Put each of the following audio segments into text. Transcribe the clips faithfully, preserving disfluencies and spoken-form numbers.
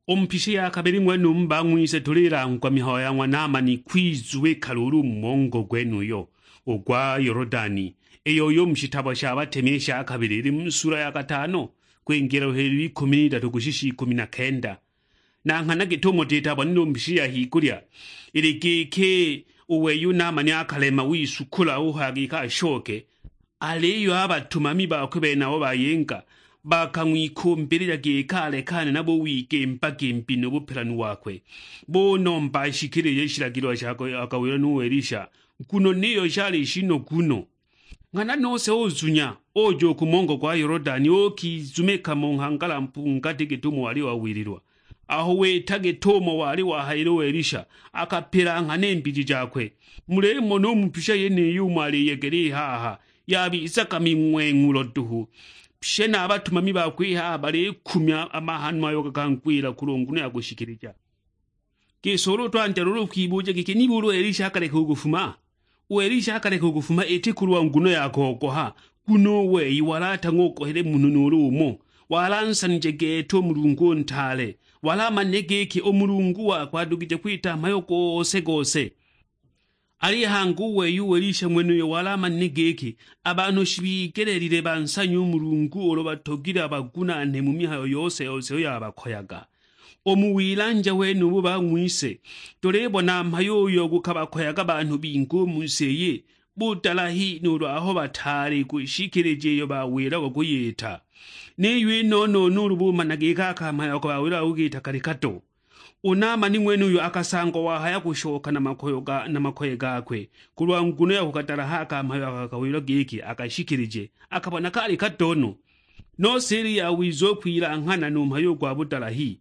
U mu pisha ya kabili ng'wenumu bang'wise tulilangwa mihayo ya ng'wa Naamani kwizubika luulu u mu mongo gwenuyo u gwa Yolodani, iyo uyu mu shitabo sha batemi i sha kabili ili mu sula ya katano, kwingila u helu ikumi n'idatu kushisha ikumi na kenda. Na nghana git'umo titabonile u mu pisha ya higulya, ili giki u wei u Naamani akalema wisukula uhaya giki ashoke, Aliyo a batumami bakwe benabo bayinga, bakang'wikumbilija giki alekane nabo wigimba-gimbi nu bupelanu wakwe. Bunomba ashikilije i shilagilo sha kawila nu Elisha, nguno niyo shali shinogu no. Nghana nose uzunya, uja u ku mongo gwa Yolodani, uukizumika mu nghangala mpungati git'umo wali wawililwa. Aho wita git'umo wali wahayile u Elisha, akapila nghana i mbiji jakwe. Mulimona u mu pisha yeniyi umo aliyegela i haha, yabizaga ming'weng'ulo duhu. Pye na a batumami bakwe i haha balikumya a mahanwa ayo gakangwila kulwa nguno ya kushikilija. Gisi ulu twandya luulu kwibuja giki, nibuli u Elisha akaleka u kufuma? U Elisha akaleka u kufuma iti kulwa nguno ya kogoha, nguno u wei wali atang'ogohile munhu nuulu umo. Wali ansanije gete u Mulungu u ntaale. Wali amanile giki u Mulungu wakwe adugije kwita mhayo gose-gose. Aliyo hangi u wei u Elisha ng'wenuyo wali amanile giki a banhu shibigeleelile bansanye u Mulungu ulu batogilwe abagunaane mu mihayo yose-yose iyo yabakoyaga. U mu wilanja wenubu bang'wise, tulibona mhayo uyo gukabakoyaga banhu bingi u mu si iyi, budalahi nuulu aho bataali kushikilija iyo bawilagwa kuyita. Niyo i nono nuulu bumana giki a kamhayo ako bawilagwa kugita kali kato. U Naamani ng'wenuyo akasangwa wahaya kushoka na makoye ga, na makoye gakwe, kulwa nguno ya kugadalaha a kamhayo ako akawilwa giki akashikilije, akabona kali kato no. Nose ili yawiza u kwilanghana nu mhayo u gwa budalahi.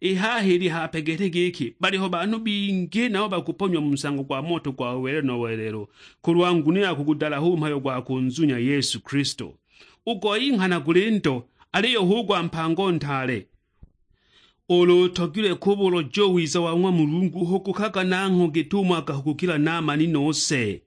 I haha ili hape gete giki, baliho banhu bingi nabo bakuponyiwa mu nsango gwa moto gwa welelo na welelo, kulwa nguno ya kugudalaha u mhayo gwa kunzunya Yesu Kilisto. U goi nghana guli ndo, aliyo hu gwa mpango ntaale. Ulu utogilwe kubuloja u wiza wa ng'wa Mulungu, hugukaga nangho git'umo akahugukila Naamani nose.